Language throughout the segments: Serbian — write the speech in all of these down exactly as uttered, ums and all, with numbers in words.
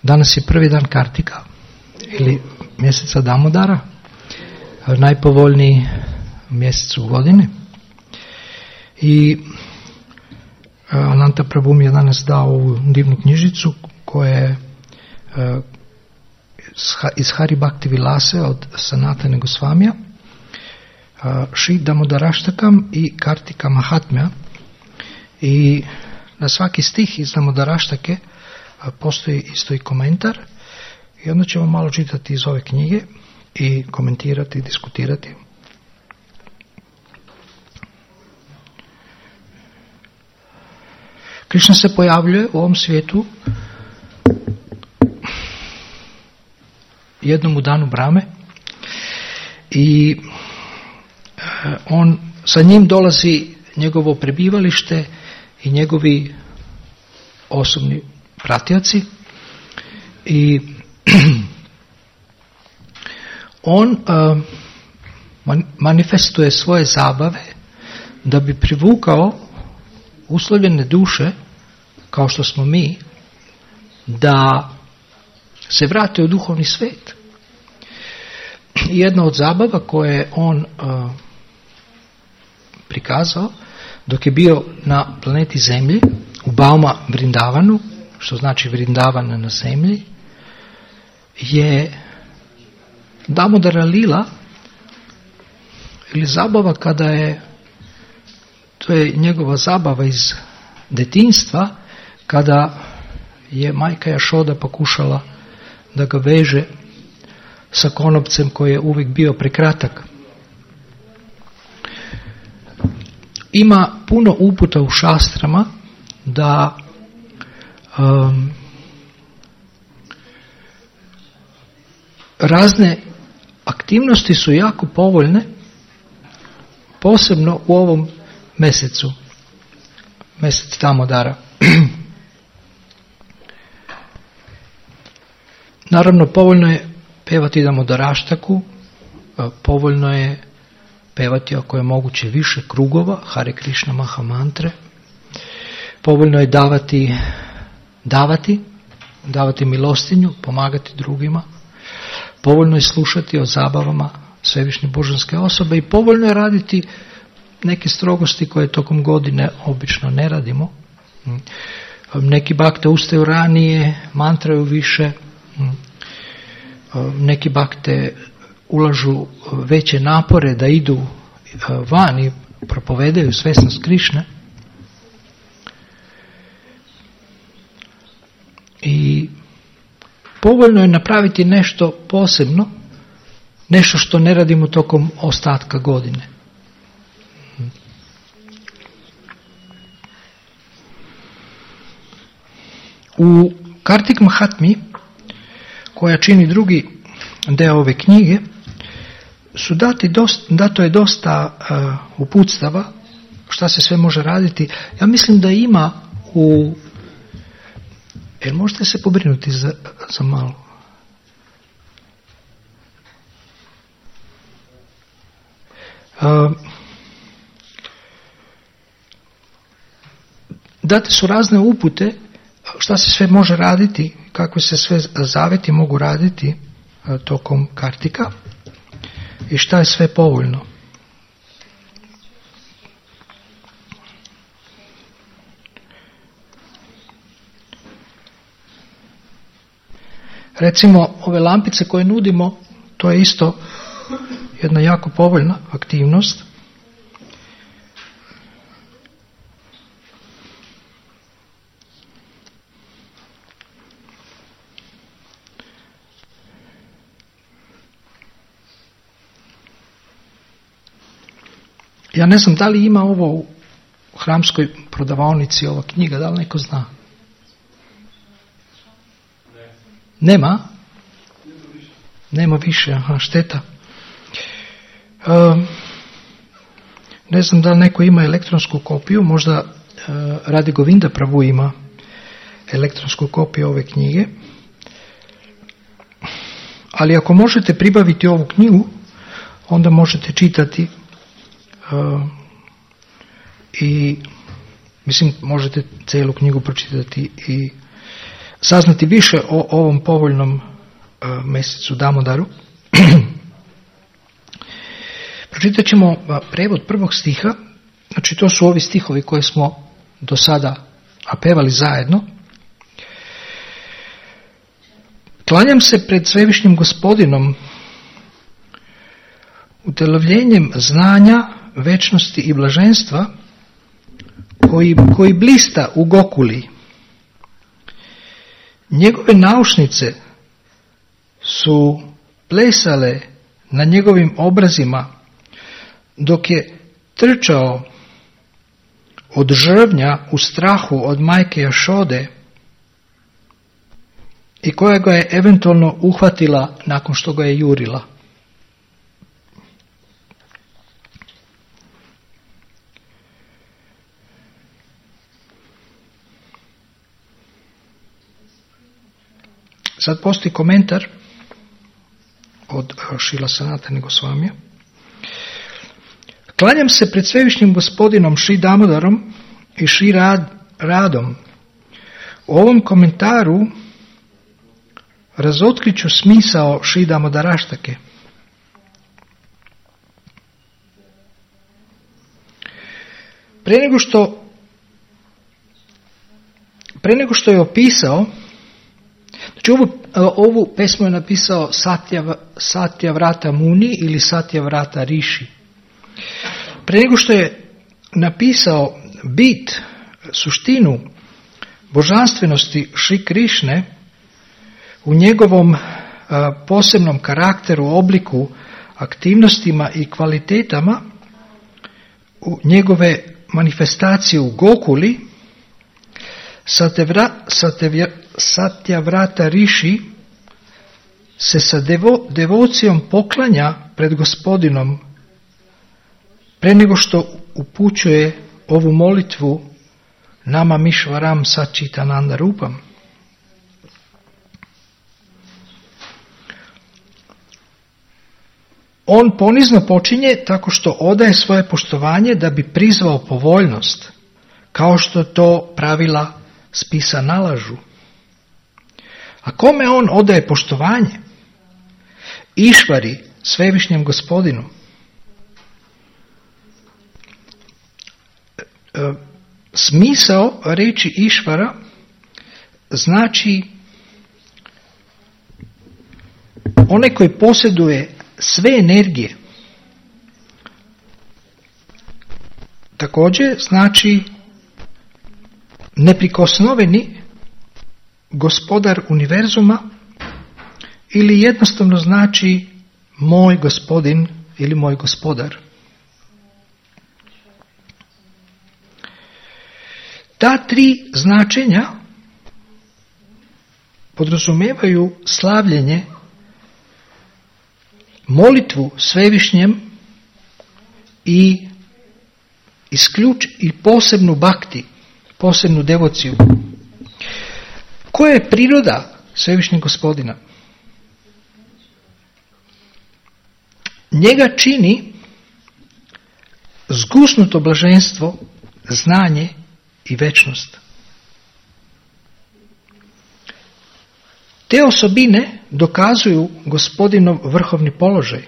Danas je prvi dan Kartika ili mjeseca Damodara, najpovoljniji mjesec u godini. I Ananta Prabhu mi je danas dao ovu divnu knjižicu koja je iz Hari Bhakti Vilase od Sanatana Gosvamija, Šri Damodarashtakam i Kartika Mahatmya. I na svaki stih iz Damodaraštake postoji isto i komentar i onda ćemo malo čitati iz ove knjige i komentirati, diskutirati. Krišna se pojavljuje u ovom svijetu jednom u danu Brahme i on, sa njim dolazi njegovo prebivalište i njegovi osobni pratioci i on uh, man, manifestuje svoje zabave da bi privukao uslovljene duše kao što smo mi da se vrate u duhovni svijet. Jedna od zabava koje je on uh, prikazao dok je bio na planeti Zemlji u Bauma Vrindavanu, što znači Vrindavana na zemlji, je Damodara Lila ili zabava kada je, to je njegova zabava iz detinjstva, kada je majka Jašoda pokušala da ga veže sa konopcem koji je uvijek bio prekratak. Ima puno uputa u šastrama da um, razne aktivnosti su jako povoljne, posebno u ovom mjesecu, mjesec Damodara. Naravno, povoljno je pevati Damodaraštaku, povoljno je pevati ako je moguće više krugova, Hare Krishna Maha mantre, povoljno je davati, davati, davati milostinju, pomagati drugima, povoljno je slušati o zabavama svevišnje božanske osobe i povoljno je raditi neke strogosti koje tokom godine obično ne radimo. Neki bakte ustaju ranije, mantraju više, neki bakte ulažu veće napore da idu van i propovedaju svesnost Krišne. I povoljno je napraviti nešto posebno, nešto što ne radimo tokom ostatka godine. U Kartik Mahatmi, koja čini drugi deo ove knjige, su dati dosta, dato je dosta uh, uputstava šta se sve može raditi. Ja mislim da ima u... Jel možete se pobrinuti za, za malo? Uh, date su razne upute šta se sve može raditi, kako se sve zaveti mogu raditi uh, tokom Kartika i šta je sve povoljno. Recimo, ove lampice koje nudimo, to je isto jedna jako povoljna aktivnost. Ja ne znam da li ima ovo u hramskoj prodavaonici, ova knjiga, da li neko zna? Nema? Nema više, aha, šteta. Um, ne znam da li neko ima elektronsku kopiju, možda uh, Radi Govinda Prabhu ima elektronsku kopiju ove knjige. Ali ako možete pribaviti ovu knjigu, onda možete čitati uh, i mislim možete cijelu knjigu pročitati i saznati više o ovom povoljnom uh, mjesecu Damodaru, pročitat ćemo uh, prevod prvog stiha. Znači, to su ovi stihovi koje smo do sada pevali zajedno. Klanjam se pred svevišnjim Gospodinom, utelovljenjem znanja, večnosti i blaženstva, koji, koji blista u Gokuli. Njegove naušnice su plesale na njegovim obrazima dok je trčao od žrvnja u strahu od majke Jašode i koja ga je eventualno uhvatila nakon što ga je jurila. Sad postoji komentar od Šila Sanatana Gosvamija. Klanjam se pred svevišnjim Gospodinom Šri Damodarom i Šri Rad, Radom. U ovom komentaru razotkriću smisao Šri Damodaraštake. Pre nego što pre nego što je opisao, znači ovu, ovu pesmu je napisao Satya, Satya Vrata Muni ili Satya Vrata Rishi. Pre nego što je napisao bit, suštinu božanstvenosti Šri Krišne u njegovom a, posebnom karakteru, obliku, aktivnostima i kvalitetama, u njegove manifestacije u Gokuli, Satya Vrata Rishi se sa devo, devocijom poklanja pred Gospodinom pre nego što upućuje ovu molitvu Nama Mišvaram Sačitananda Rupam. On ponizno počinje tako što odaje svoje poštovanje da bi prizvao povoljnost, kao što to pravila spisa nalažu. A kome on odaje poštovanje? Išvari, svevišnjem Gospodinu. Smisao reči Išvara znači onaj koji posjeduje sve energije. Također znači neprikosnoveni gospodar univerzuma ili jednostavno znači moj gospodin ili moj gospodar. Ta tri značenja podrazumijevaju slavljenje, molitvu svevišnjem i isključ i posebnu bakti, posebnu devociju. Koja je priroda svevišnjeg Gospodina? Njega čini zgusnuto blaženstvo, znanje i večnost. Te osobine dokazuju Gospodinov vrhovni položaj.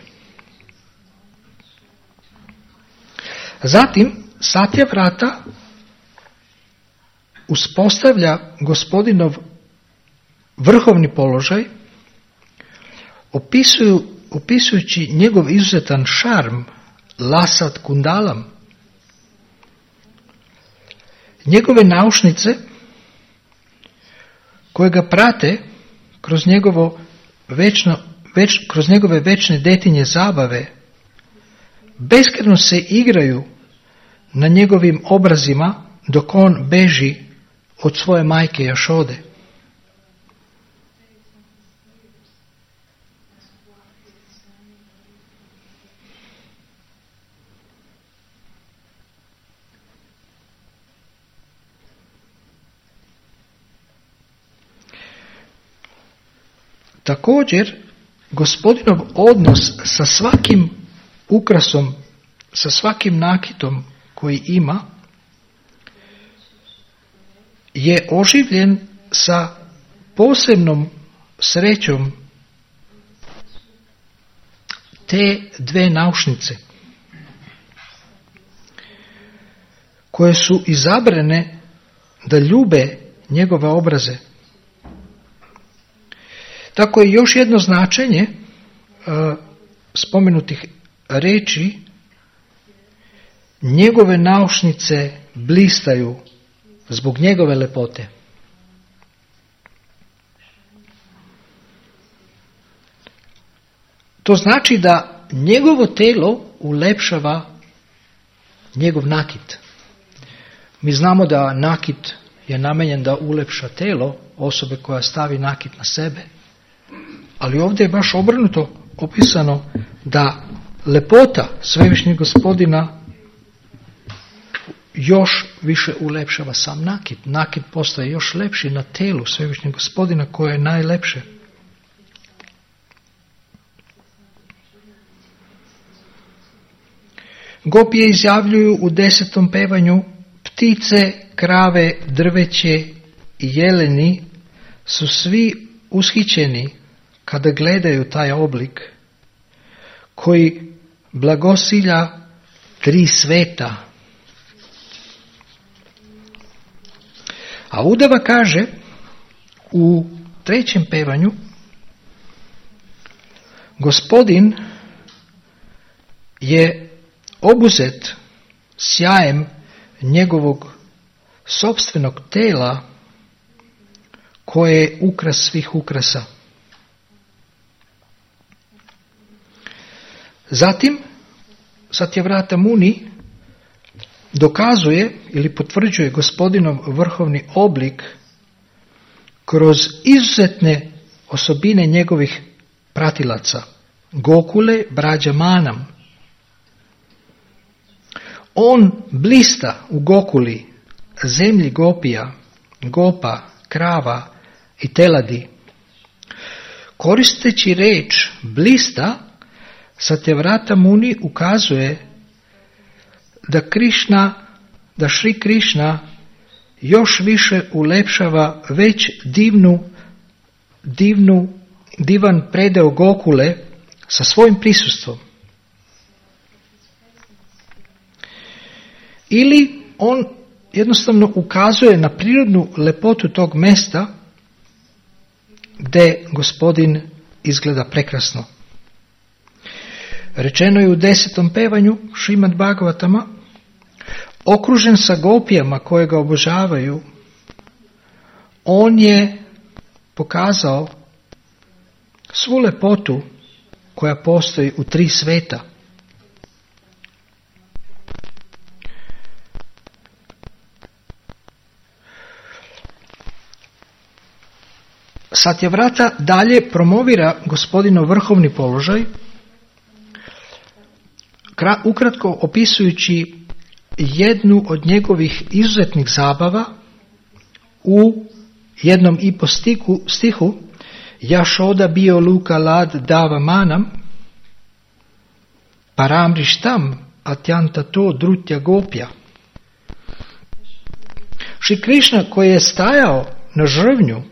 Zatim, Satya Vrata uspostavlja Gospodinov vrhovni položaj, opisuju, opisujući njegov izuzetan šarm, lasat kundalam. Njegove naušnice koje ga prate kroz njegovo večno, već, kroz njegove večne detinje zabave beskrajno se igraju na njegovim obrazima dok on beži od svoje majke Jašode. Također, Gospodinov odnos sa svakim ukrasom, sa svakim nakitom koji ima, je oživljen sa posebnom srećom te dve naušnice koje su izabrane da ljube njegove obraze. Tako je još jedno značenje uh, spomenutih reči: njegove naušnice blistaju zbog njegove lepote. To znači da njegovo telo ulepšava njegov nakit. Mi znamo da nakit je namenjen da ulepša telo osobe koja stavi nakit na sebe, ali ovdje je baš obrnuto opisano da lepota Svevišnjeg Gospodina još više ulepšava sam nakit. Nakit postaje još lepši na telu Svevišnjeg Gospodina koje je najlepše. Gopije izjavljuju u desetom pevanju: ptice, krave, drveće i jeleni su svi ushićeni kada gledaju taj oblik koji blagosilja tri sveta. A udava kaže u trećem pevanju: Gospodin je obuzet sjajem njegovog sopstvenog tela koje je ukras svih ukrasa. Zatim Satyavrata Muni dokazuje ili potvrđuje Gospodinov vrhovni oblik kroz izuzetne osobine njegovih pratilaca, Gokule, Brađamanam. On blista u Gokuli, zemlji Gopija, Gopa, krava i teladi. Koristeći reč blista, Satyavrata Muni ukazuje da Krišna, da Šri Krišna još više ulepšava već divnu, divnu, divan predeo Gokule sa svojim prisustvom. Ili on jednostavno ukazuje na prirodnu lepotu tog mesta gdje Gospodin izgleda prekrasno. Rečeno je u desetom pevanju Šrimad Bhagavatama: okružen sa gopijama koje ga obožavaju, on je pokazao svu lepotu koja postoji u tri sveta. Satyavrata dalje promovira Gospodinov vrhovni položaj, ukratko opisujući jednu od njegovih izuzetnih zabava u jednom i po stihu, stihu Jašoda bio luka lad dava manam paramrištam atjanta to drutja gopja. Šri Krišna koji je stajao na žrvnju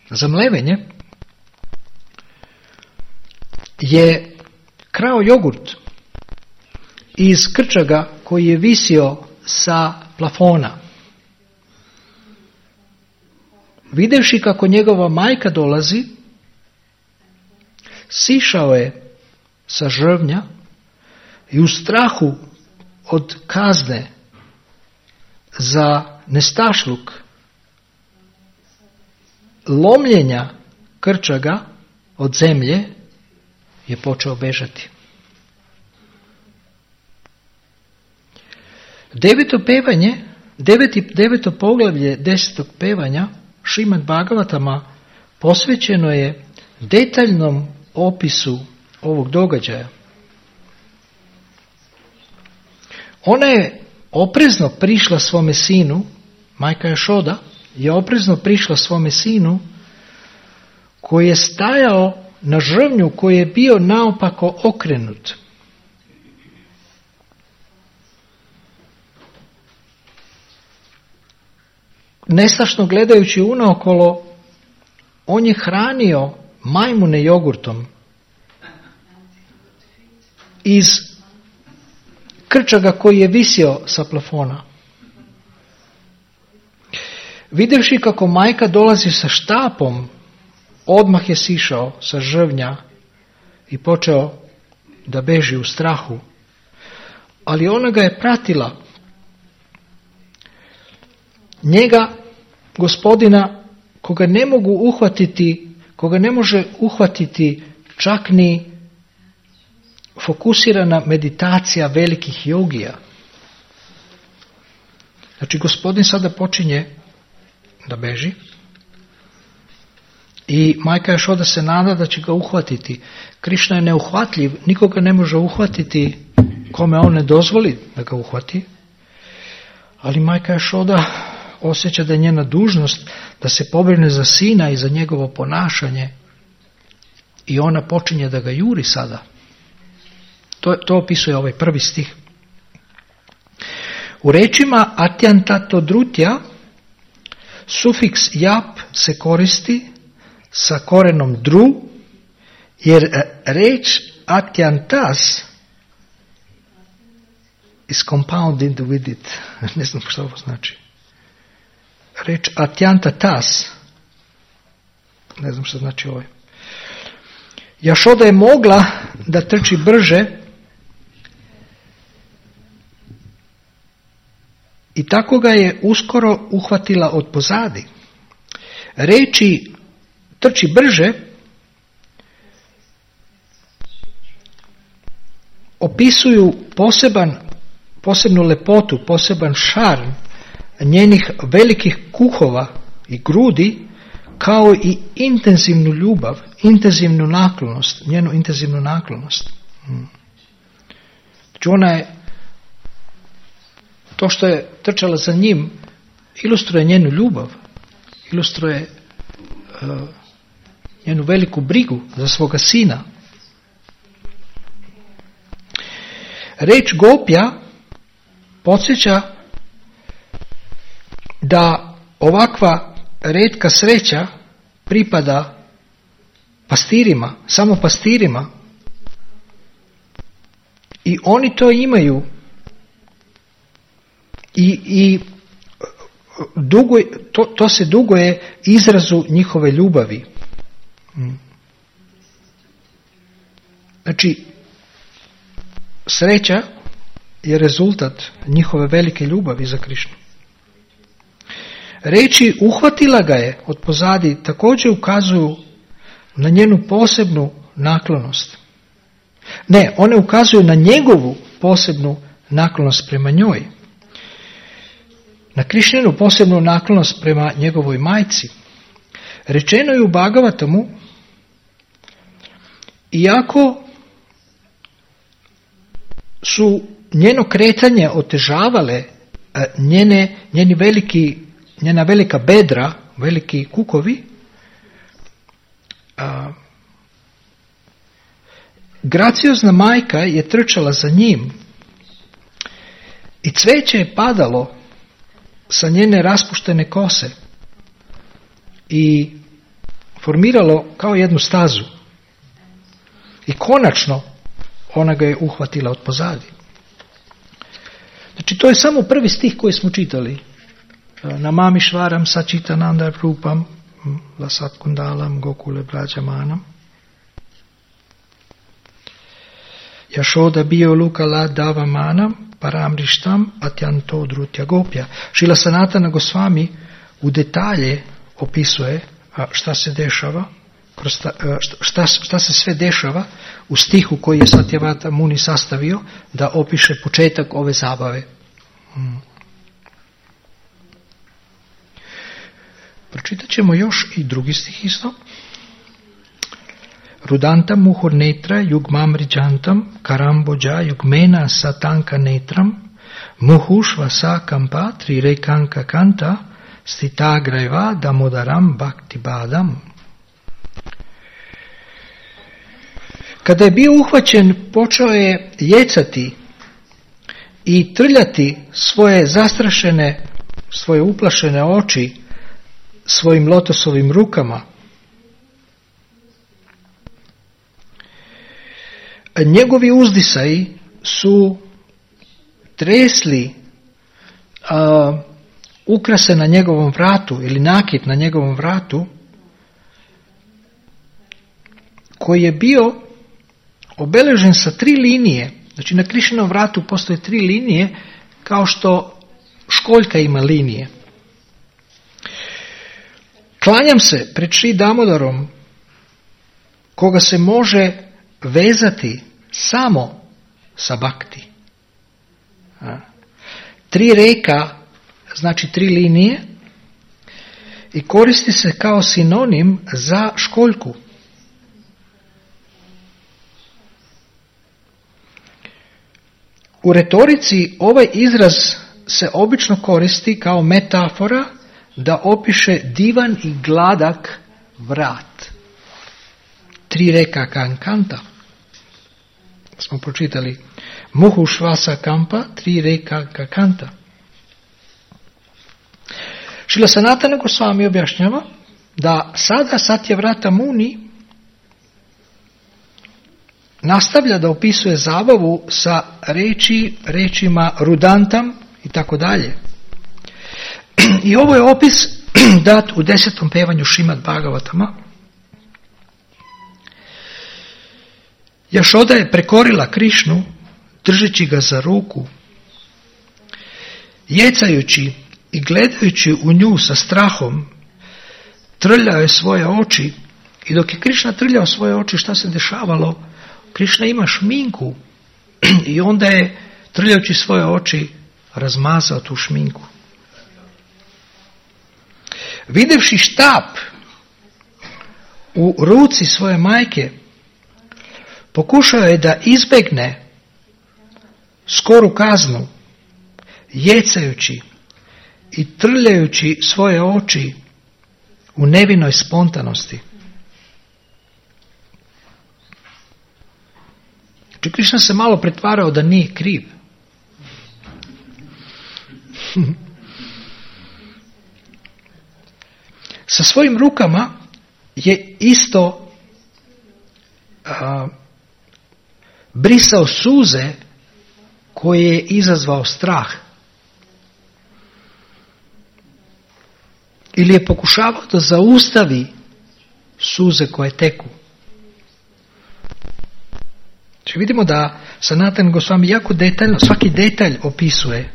za mlevenje je krao jogurt iz krčaga koji je visio sa plafona. Videvši kako njegova majka dolazi, sišao je sa žrvnja i u strahu od kazne za nestašluk, lomljenja krčaga od zemlje, je počeo bežati. Deveto pevanje, deveti, deveto poglavlje desetog pevanja Šrimad Bhagavatama posvećeno je detaljnom opisu ovog događaja. Ona je oprezno prišla svome sinu, majka Jašoda je oprezno prišla svome sinu koji je stajao na žrvnju koji je bio naopako okrenut. Nestašno gledajući unaokolo on je hranio majmune jogurtom iz krčaga koji je visio sa plafona. Vidjevši kako majka dolazi sa štapom, odmah je sišao sa žrvnja i počeo da beži u strahu. Ali ona ga je pratila. Njega, gospodina, koga ne mogu uhvatiti, koga ne može uhvatiti čak ni fokusirana meditacija velikih jogija. Znači, gospodin sada počinje da beži i majka još oda se nada da će ga uhvatiti. Krišna je neuhvatljiv, nikoga ne može uhvatiti kome on ne dozvoli da ga uhvati, ali majka još oda osjeća da je njena dužnost da se pobrine za sina i za njegovo ponašanje i ona počinje da ga juri sada. To, to opisuje ovaj prvi stih. U rečima atyantato drutja sufiks jap se koristi sa korenom dru, jer reč atyantas is compounded with it. Ne znam što ovo znači. Reč atyantatas, ne znam što znači ovo. Jašoda je mogla da trči brže i tako ga je uskoro uhvatila od pozadi. Reči trči brže opisuju poseban, posebnu lepotu, poseban šarm njenih velikih kuhova i grudi, kao i intenzivnu ljubav, intenzivnu naklonost, njenu intenzivnu naklonost. Znači ona je, to što je trčala za njim, ilustruje njenu ljubav, ilustruje uh, njenu veliku brigu za svoga sina. Reč gopja podsjeća da ovakva retka sreća pripada pastirima, samo pastirima, i oni to imaju i, i dugo, to, to se duguje izrazu njihove ljubavi. Znači, sreća je rezultat njihove velike ljubavi za Krišnu. Reči uhvatila ga je od pozadi također ukazuju na njenu posebnu naklonost. Ne, one ukazuju na njegovu posebnu naklonost prema njoj. Na Krišninu posebnu naklonost prema njegovoj majci. Rečeno je u Bhagavatamu, iako su njeno kretanje otežavale njene, njeni veliki, njena velika bedra, veliki kukovi, a, graciozna majka je trčala za njim i cveće je padalo sa njene raspuštene kose i formiralo kao jednu stazu. I konačno ona ga je uhvatila od pozadi. Znači, to je samo prvi stih koji smo čitali. Namami švaram sačitananda rupam lasat kundalam gokule brađamanam. Jašoda bio lukala davamanam paramrištam atyanto drutya gopja. Šila Sanatana Gosvami u detalje opisuje šta se dešava, šta, šta se sve dešava u stihu koji je Satyavata Muni sastavio da opiše početak ove zabave. Hmm. Pročitat ćemo još i drugi stih isto. Rudanta muhur netra yugmam rijantam karamboja yugmena satanka netram muhushva sa kampa trirekanka kanta stita graiva damodaram bhakti badam. Kada je bio uhvaćen, počeo je jecati i trljati svoje zastrašene, svoje uplašene oči svojim lotosovim rukama njegovi uzdisaji su tresli uh, ukrase na njegovom vratu ili nakit na njegovom vratu koji je bio obeležen sa tri linije. Znači na Krišnom vratu postoje tri linije kao što školjka ima linije. Klanjam se pred Šri Damodarom koga se može vezati samo sa bhakti. Tri reka znači tri linije i koristi se kao sinonim za školjku. U retorici ovaj izraz se obično koristi kao metafora da opiše divan i gladak vrat. Tri reka kankanta. Smo pročitali Muhu švasa kampa, tri reka kakanta. Šrila Sanatana Gosvami objašnjava da sada Satyavrata Muni nastavlja da opisuje zabavu sa reči, rečima rudantam i tako dalje. I ovo je opis dat u desetom pevanju Šrimad Bhagavatama. Jašoda je prekorila Krišnu držeći ga za ruku, jecajući i gledajući u nju sa strahom, trljao je svoje oči i dok je Krišna trljao svoje oči, šta se dešavalo? Krišna ima šminku i onda je, trljajući svoje oči, razmazao tu šminku. Videvši štap u ruci svoje majke, pokušao je da izbegne skoru kaznu, jecajući i trljajući svoje oči u nevinoj spontanosti. Znači, Krišna se malo pretvarao da nije kriv. Sa svojim rukama je isto a, brisao suze koje je izazvao strah. Ili je pokušavao da zaustavi suze koje teku. Znači vidimo da Sanatana Gosvami jako detaljno, svaki detalj opisuje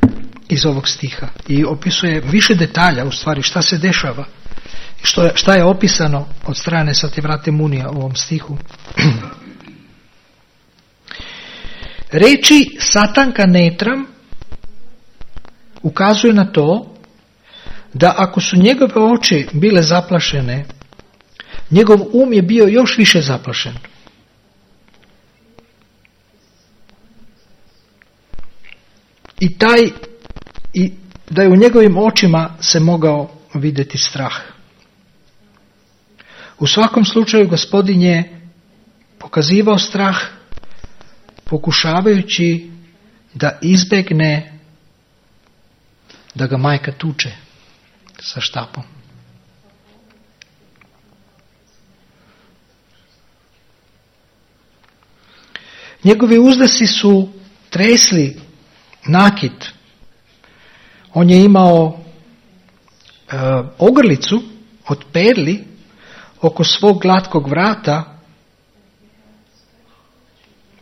iz ovog stiha. I opisuje više detalja u stvari šta se dešava. Što, šta je opisano od strane Satyavrate Munija u ovom stihu. Reči Satanka Netram ukazuje na to da ako su njegove oči bile zaplašene, njegov um je bio još više zaplašen. I taj, i da je u njegovim očima se mogao vidjeti strah. U svakom slučaju Gospodin je pokazivao strah pokušavajući da izbegne da ga majka tuče sa štapom. Njegovi uzdasi su tresli nakit. On je imao e, ogrlicu od perli oko svog glatkog vrata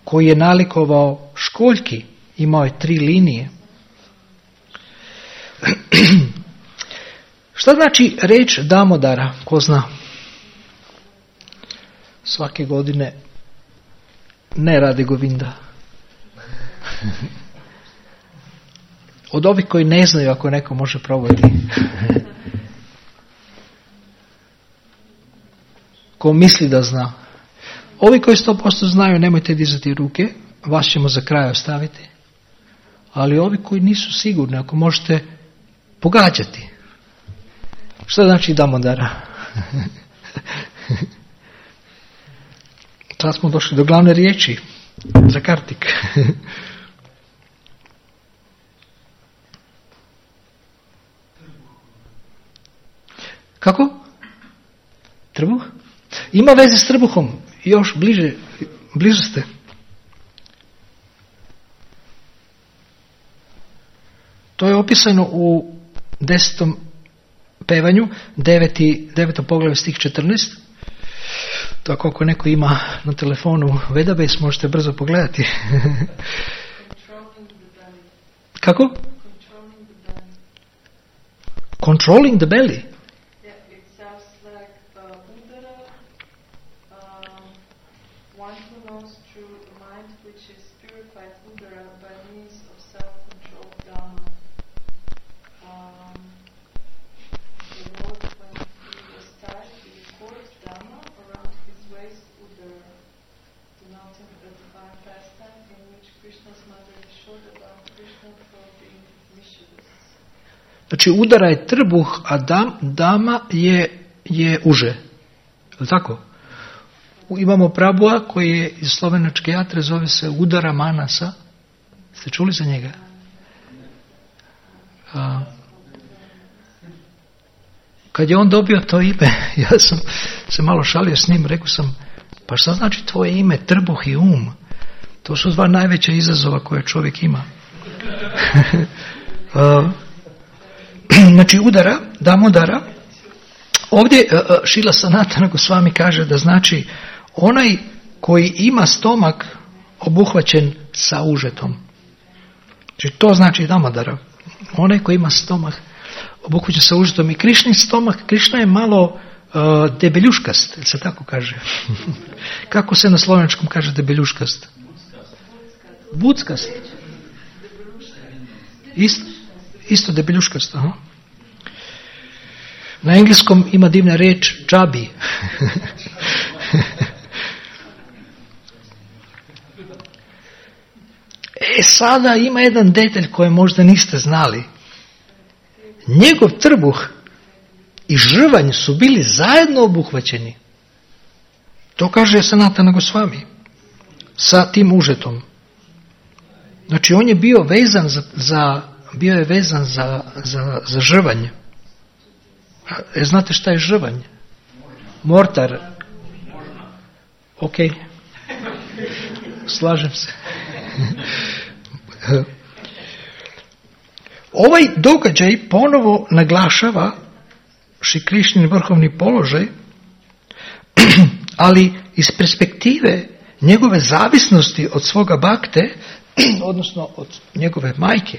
koji je nalikovao školjki. Imao je tri linije. Šta znači reč Damodara? Ko zna? Svake godine ne radi Govinda. Od ovih koji ne znaju, ako neko može probati. Ko misli da zna. Ovi koji sto posto znaju, nemojte dizati ruke, vas ćemo za kraj ostaviti. Ali ovi koji nisu sigurni, ako možete pogađati. Što znači Damodara? Sad smo došli do glavne riječi za Kartik. Kako? Trbuh? Ima veze s trbuhom. Još bliže, bliže ste. opisano u desetom pevanju, deveti, deveto poglavlje stih četrnaest. Tako ako neko ima na telefonu Vedabase, možete brzo pogledati. Kako? Controlling the belly. Yeah, it sounds like uh, udara, um, one who knows through the mind which is purified udara by means of self-control dhamma. Um, the Lord, when he was tied, he records dhamma around his waist udara, denoting a divine pastime in which Krishna's mother Yashoda bound Krishna for being mischievous. Znači udara je trbuh, a dam, dama je, je uže. Je li tako? Imamo Prabhuja koji je iz slovenačke jatre, zove se Udara Manasa. Ste čuli za njega? A, kad je on dobio to ime, ja sam se malo šalio s njim, rekao sam, pa šta znači tvoje ime, trbuh i um? To su dva najveća izazova koje čovjek ima. A, znači udara, damodara. Ovdje Šila Sanatana Gosvami kaže da znači onaj koji ima stomak obuhvaćen sa užetom. Znači to znači damodara. Onaj koji ima stomak obuhvaćen sa užetom. I Krišnin stomak, Krišna je malo uh, debeljuškast, se tako kaže. Kako se na slovenačkom kaže debeljuškast? Buckast. Isto, isto debeljuškast, aha. Na engleskom ima divna reč chubby. E sada ima jedan detalj koji možda niste znali. Njegov trbuh i žrvanj su bili zajedno obuhvaćeni. To kaže Sanatana Gosvami sa tim užetom. Znači on je bio vezan za, za bio je vezan za, za, za žrvanj. E, znate šta je žrvanj? Mortar. Ok. Slažem se. Ovaj događaj ponovo naglašava Šri Krišnin vrhovni položaj, ali iz perspektive njegove zavisnosti od svoga bakte, odnosno od njegove majke.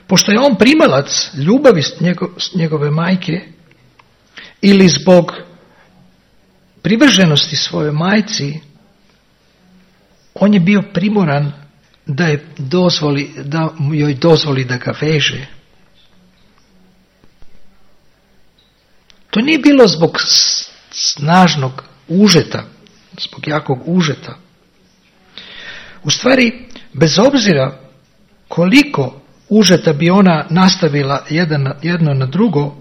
Pošto je on primalac ljubavi njegove majke ili zbog privrženosti svojoj majci, on je bio primoran da, je dozvoli, da joj dozvoli da ga veže. To nije bilo zbog snažnog užeta, zbog jakog užeta. U stvari, bez obzira koliko užeta bi ona nastavila jedan, jedno na drugo,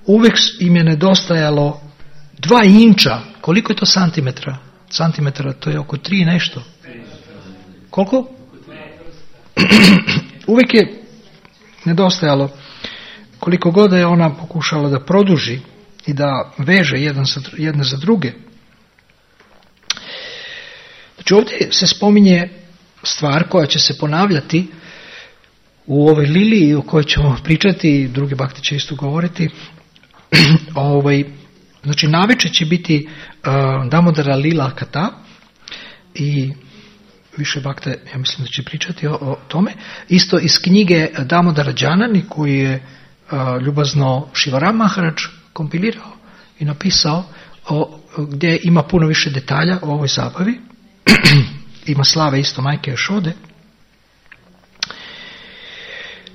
uvijek im je nedostajalo dva inča. Koliko je to santimetra? Santimetra, to je oko tri nešto. Koliko? Uvijek je nedostajalo, koliko god je ona pokušala da produži i da veže jedan za, jedne za druge. Znači ovdje se spominje stvar koja će se ponavljati u ovoj liliji o kojoj ćemo pričati, i drugi bakti će isto govoriti. ovaj, znači navečer će biti uh, Damodara Lila Kata i više bakte, ja mislim da će pričati o, o tome. Isto iz knjige Damodara Džanani koju je uh, ljubazno Šivaram Maharaj kompilirao i napisao, o, gdje ima puno više detalja o ovoj zabavi. Ima slave isto majke Jašode.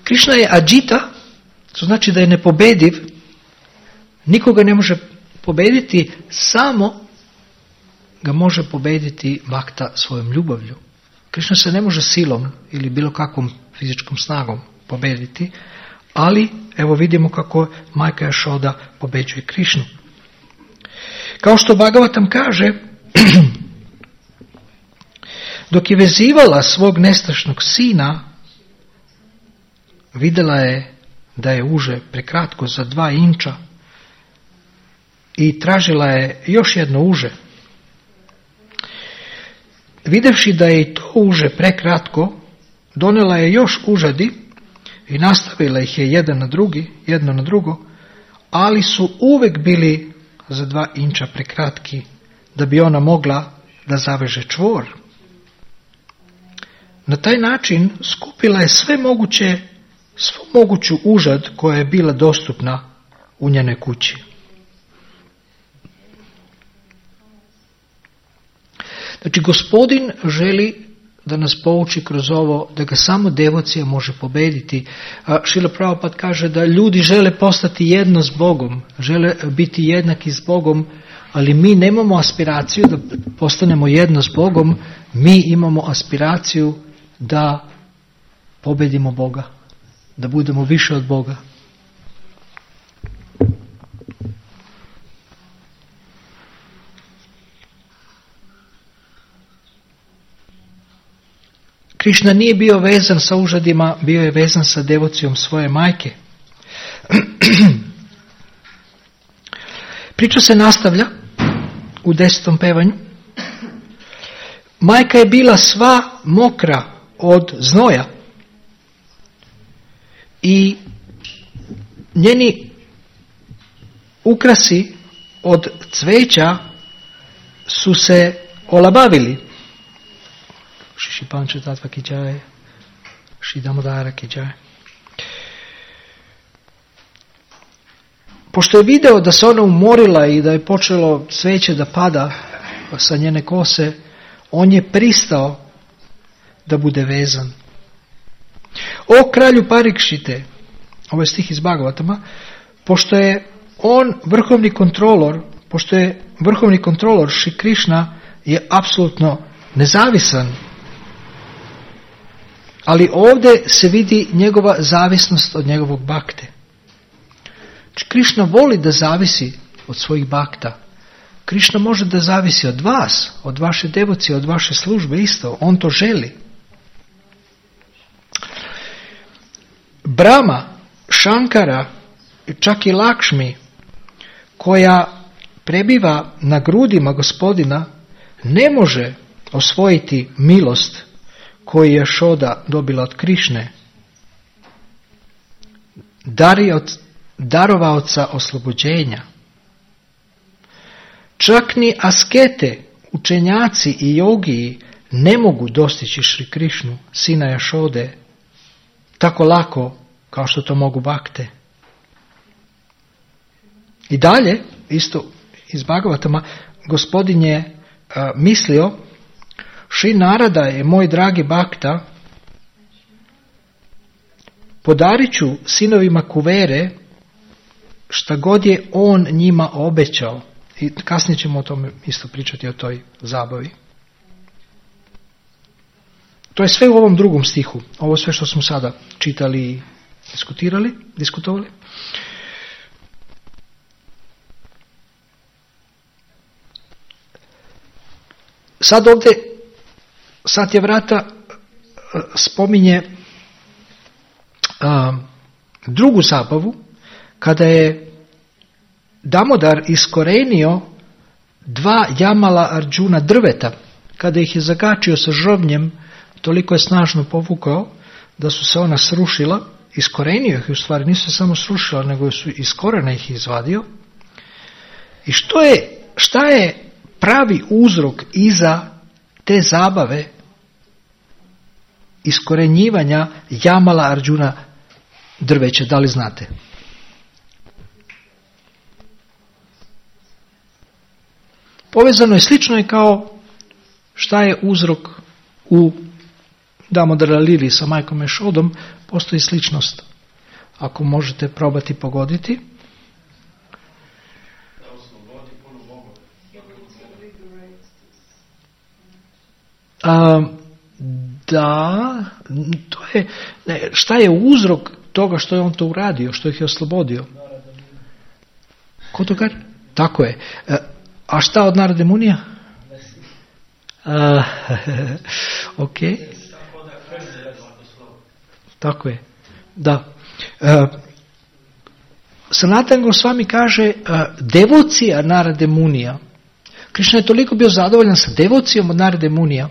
Krišna je Adžita, to znači da je nepobediv, nikoga ne može pobediti, samo ga može pobediti bakta svojom ljubavlju. Krišna se ne može silom ili bilo kakvom fizičkom snagom pobediti, ali evo vidimo kako majka Jašoda pobeđuje Krišnu. Kao što Bhagavatam kaže, dok je vezivala svog nestašnog sina, vidjela je da je uže prekratko za dva inča i tražila je još jedno uže. Videvši da je i to uže prekratko, donela je još užadi i nastavila ih je jedan na drugi, jedno na drugo, ali su uvek bili za dva inča prekratki da bi ona mogla da zaveže čvor. Na taj način skupila je sve moguće, svu moguću užad koja je bila dostupna u njenoj kući. Znači, Gospodin želi da nas pouči kroz ovo da ga samo devocija može pobediti. Šrila Prabhupada kaže da ljudi žele postati jedno s Bogom, žele biti jednaki s Bogom, ali mi nemamo aspiraciju da postanemo jedno s Bogom, mi imamo aspiraciju da pobedimo Boga, da budemo više od Boga. Krišna nije bio vezan sa užadima, bio je vezan sa devocijom svoje majke. Priča se nastavlja u desetom pevanju. Majka je bila sva mokra od znoja i njeni ukrasi od cveća su se olabavili. Šiši Panča Tatva ki džaje, Šri Damodara ki džaje. Pošto je video da se ona umorila i da je počelo cveće da pada sa njene kose, on je pristao da bude vezan. O kralju Parikšite, ovo je stih iz Bhagavatama, pošto je on vrhovni kontrolor, pošto je vrhovni kontrolor Šri Krišna je apsolutno nezavisan. Ali ovdje se vidi njegova zavisnost od njegovog bakte. Krišna voli da zavisi od svojih bakta. Krišna može da zavisi od vas, od vaše devocije, od vaše službe isto. On to želi. Brahma, Shankara, čak i Lakšmi, koja prebiva na grudima Gospodina, ne može osvojiti milost koju je Šoda dobila od Krišne. Dar je od darovaoca oslobođenja. Čak ni askete, učenjaci i jogiji ne mogu dostići Šri Krišnu, sina Jašode, tako lako kao što to mogu bakte. I dalje, isto iz Bhagavatama, Gospodin je a, mislio, Šri Narada je moj dragi bakta, podarit ću sinovima Kuvere šta god je on njima obećao. I kasnije ćemo o tome isto pričati, o toj zabavi. To je sve u ovom drugom stihu. Ovo sve što smo sada čitali i diskutirali, diskutovali. Sad ovdje Satyavrata spominje a, drugu zabavu, kada je Damodar iskorenio dva Jamala Arjuna drveta, kada ih je zagačio sa žrvnjem, toliko je snažno povukao da su se ona srušila, iskorenio ih, u stvari nisu se samo srušila, nego su iz korena ih izvadio. I što je, šta je pravi uzrok iza te zabave iskorenjivanja Jamala Arjuna drveća, da li znate? Povezano je, slično je kao šta je uzrok u Damodara Lili sa majkom Ješodom, postoji sličnost. Ako možete probati pogoditi. A, da, to je, ne, šta je uzrok toga što je on to uradio, što ih je oslobodio? Ko to kaže? Tako je. A, a šta od Narade Munija? A, ok. Tako je. Da. A, Sanatana Gosvami kaže a, devocija Narade Munija. Krišna je toliko bio zadovoljan sa devocijom od Narade Munija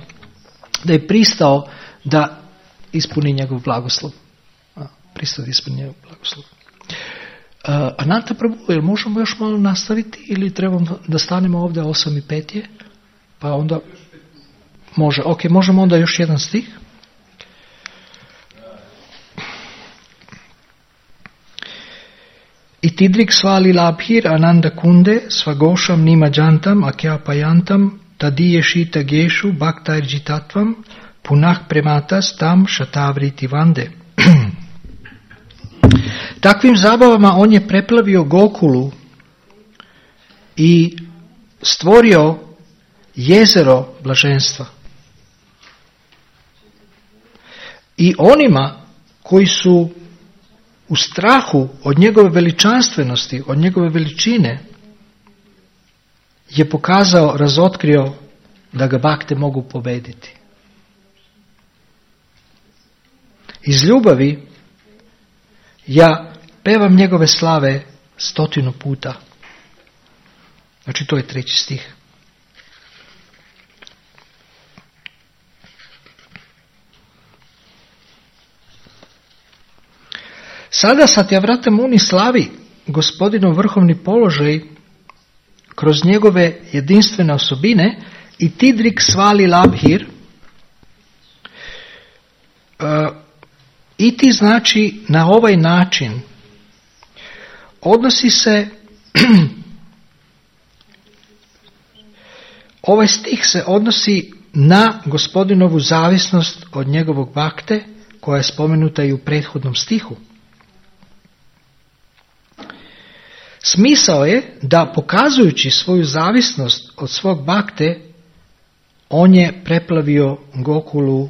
da je pristao da ispuni njegov blagoslov. Pristao da ispuni njegov blagoslov. Uh, Ananta Prabhu, jel možemo još malo nastaviti ili trebamo da stanemo ovdje osam i pet je? Pa onda može, ok, možemo onda još jedan stih. Itidrik svali labhir ananda kunde svagošam nima jantam akyapayantam tadiyeshita geshu bhaktairjitatvam punah prematas tam shatavriti vande. Takvim zabavama on je preplavio Gokulu i stvorio jezero blaženstva. I onima koji su u strahu od njegove veličanstvenosti, od njegove veličine, je pokazao, razotkrio da ga bakte mogu pobediti. Iz ljubavi ja pevam njegove slave stotinu puta. Znači to je treći stih. Sada Satyavrata Muni slavi gospodinov vrhovni položaj kroz njegove jedinstvene osobine i Tidrik svali labhir. Uh, I ti znači na ovaj način odnosi se ovaj stih se odnosi na gospodinovu zavisnost od njegovog bakte koja je spomenuta i u prethodnom stihu. Smisao je da pokazujući svoju zavisnost od svog bakte, on je preplavio Gokulu,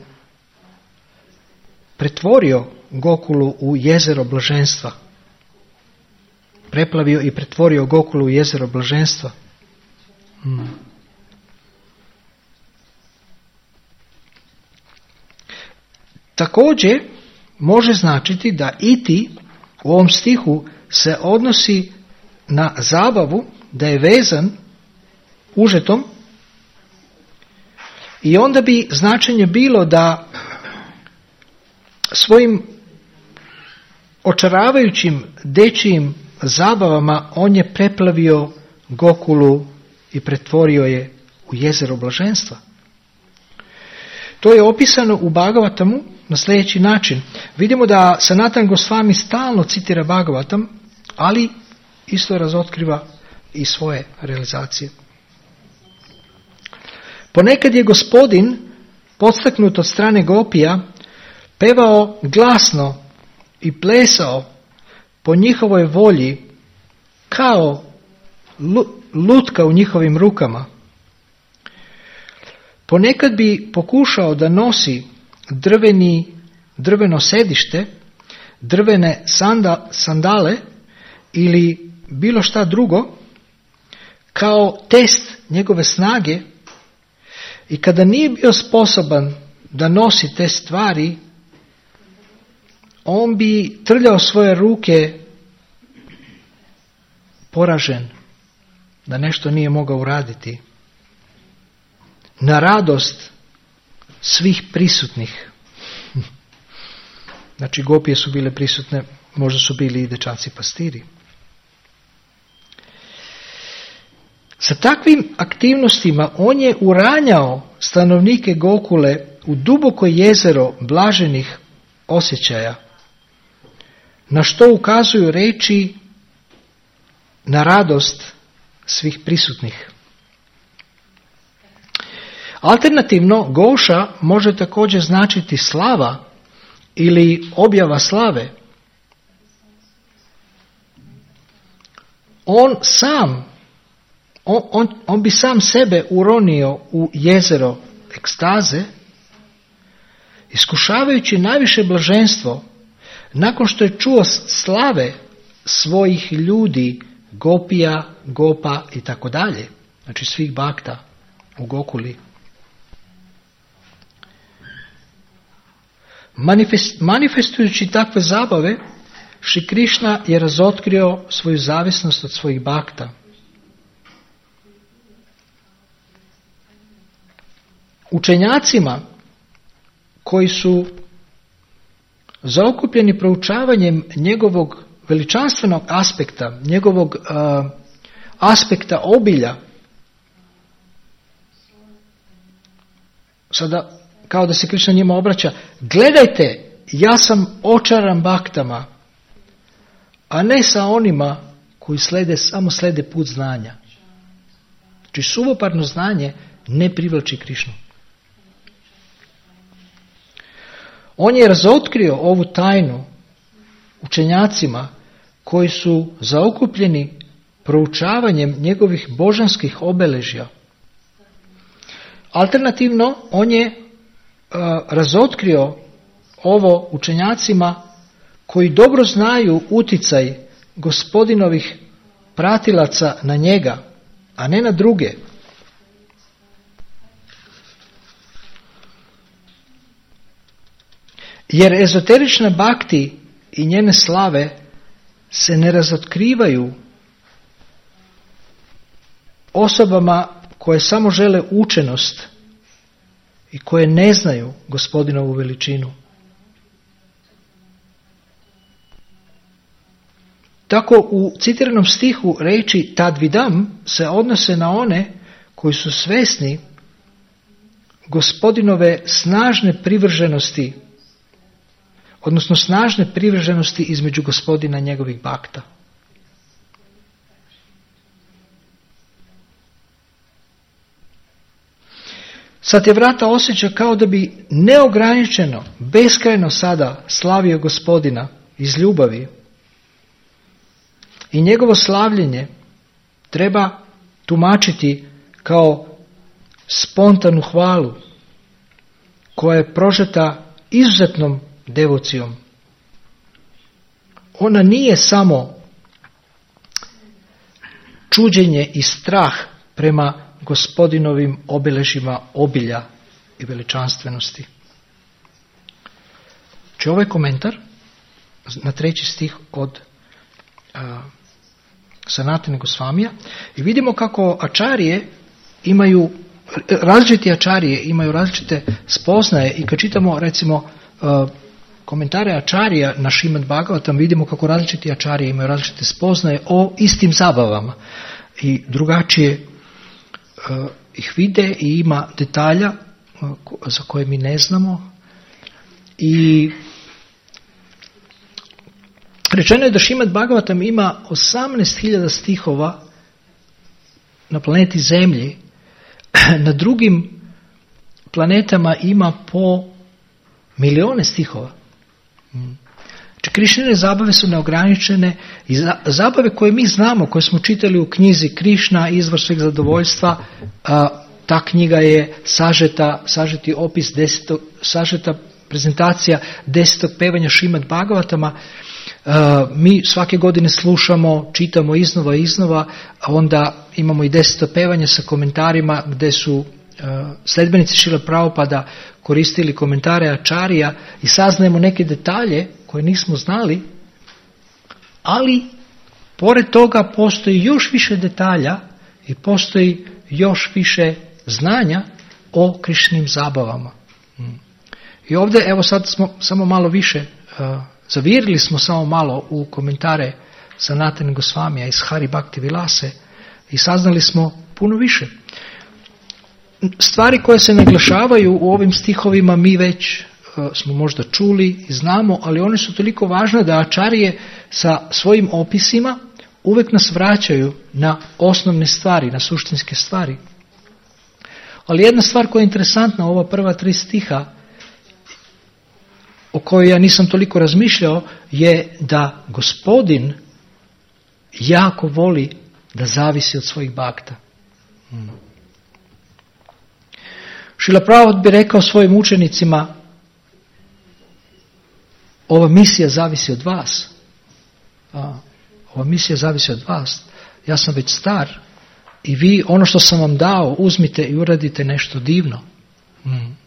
pretvorio Gokulu u jezero blaženstva. Preplavio i pretvorio Gokulu u jezero blaženstva. Hmm. Također može značiti da iti u ovom stihu se odnosi na zabavu, da je vezan užetom i onda bi značenje bilo da svojim očaravajućim dečijim zabavama on je preplavio Gokulu i pretvorio je u jezero blaženstva. To je opisano u Bhagavatamu na sljedeći način. Vidimo da Sanatan Gosvami stalno citira Bhagavatam, ali isto razotkriva i svoje realizacije. Ponekad je gospodin, podstaknut od strane gopija, pevao glasno i plesao po njihovoj volji kao lutka u njihovim rukama. Ponekad bi pokušao da nosi drveni, drveno sedište, drvene sanda, sandale ili bilo šta drugo kao test njegove snage i kada nije bio sposoban da nosi te stvari, on bi trljao svoje ruke poražen da nešto nije mogao uraditi na radost svih prisutnih. Znači gopije su bile prisutne, možda su bili i dečaci pastiri. Sa takvim aktivnostima on je uranjao stanovnike Gokule u duboko jezero blaženih osjećaja, na što ukazuju reči na radost svih prisutnih. Alternativno, Goša može također značiti slava ili objava slave. On sam, on, on, on bi sam sebe uronio u jezero ekstaze, iskušavajući najviše blaženstvo nakon što je čuo slave svojih ljudi, gopija, gopa i tako dalje, znači svih bakta u Gokuli. Manifest, manifestujući takve zabave, Šri Krišna je razotkrio svoju zavisnost od svojih bakta. Učenjacima koji su zaokupljeni proučavanjem njegovog veličanstvenog aspekta, njegovog uh, aspekta obilja, sada kao da se Krišna njima obraća, gledajte, ja sam očaran baktama, a ne sa onima koji slede, samo slede put znanja. Znači suvoparno znanje ne privlači Krišnu. On je razotkrio ovu tajnu učenjacima koji su zaokupljeni proučavanjem njegovih božanskih obeležja. Alternativno, on je uh, razotkrio ovo učenjacima koji dobro znaju uticaj gospodinovih pratilaca na njega, a ne na druge. Jer ezoterične bakti i njene slave se ne razotkrivaju osobama koje samo žele učenost i koje ne znaju gospodinovu veličinu. Tako u citiranom stihu riječi tadvidam se odnose na one koji su svjesni gospodinove snažne privrženosti, odnosno snažne privrženosti između gospodina i njegovih bakta. Satyavrata osjeća kao da bi neograničeno, beskrajno sada slavio gospodina iz ljubavi. I njegovo slavljenje treba tumačiti kao spontanu hvalu koja je prožeta izuzetnom devocijom. Ona nije samo čuđenje i strah prema gospodinovim obilježjima obilja i veličanstvenosti. Znači ovaj komentar na treći stih od uh, Sanatana Gosvamija i vidimo kako ačarije imaju, različiti ačarije imaju različite spoznaje i kad čitamo recimo uh, komentare ačarija na Šrimad Bhagavatam vidimo kako različiti ačarije imaju različite spoznaje o istim zabavama i drugačije uh, ih vide i ima detalja uh, za koje mi ne znamo i rečeno je da Šrimad Bhagavatam ima osamnaest hiljada stihova na planeti Zemlji, na drugim planetama ima po milijone stihova. Znači, Krišnine zabave su neograničene i zabave koje mi znamo, koje smo čitali u knjizi Krišna, izvor sveg zadovoljstva, a, ta knjiga je sažeta, sažeti opis desetog, sažeta prezentacija desetog pevanja Šrimad Bhagavatama. Uh, mi svake godine slušamo, čitamo iznova i iznova, a onda imamo i deseto pevanje sa komentarima gdje su uh, sledbenici Šrila Prabhupada koristili komentare ačarija i saznajemo neke detalje koje nismo znali, ali pored toga postoji još više detalja i postoji još više znanja o Krišnim zabavama. Hmm. I ovdje, evo sad smo samo malo više uh, zavirili smo samo malo u komentare Sanatana Gosvamija iz Hari Bhakti Vilase i saznali smo puno više. Stvari koje se naglašavaju u ovim stihovima mi već uh, smo možda čuli i znamo, ali one su toliko važne da ačarije sa svojim opisima uvijek nas vraćaju na osnovne stvari, na suštinske stvari. Ali jedna stvar koja je interesantna, ova prva tri stiha, o kojoj ja nisam toliko razmišljao, je da gospodin jako voli da zavisi od svojih bakta. Hmm. Šrila Prabhupada bi rekao svojim učenicima, ova misija zavisi od vas. A, ova misija zavisi od vas. Ja sam već star i vi ono što sam vam dao uzmite i uradite nešto divno. Hmm.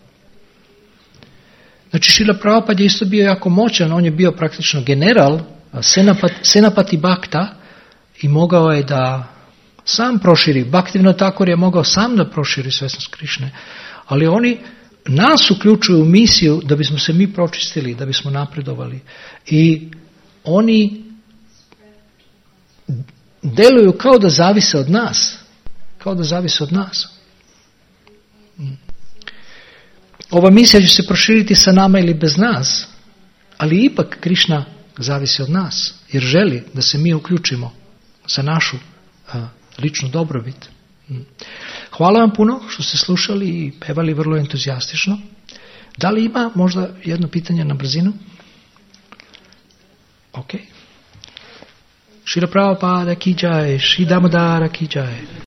Znači Šrila Prabhupada je isto bio jako moćan, on je bio praktično general Senapati, Senapati Bhakta i mogao je da sam proširi. Bhaktivinoda Thakur je mogao sam da proširi svjesnost Krišne, ali oni nas uključuju u misiju da bismo se mi pročistili, da bismo napredovali. I oni deluju kao da zavise od nas. Kao da zavise od nas. Ova misija će se proširiti sa nama ili bez nas, ali ipak Krišna zavisi od nas, jer želi da se mi uključimo za našu a, ličnu dobrobit. Hvala vam puno što ste slušali i pevali vrlo entuzijastično. Da li ima možda jedno pitanje na brzinu? Ok. Šrila Prabhupada ki jai, Šri Damodara ki jai.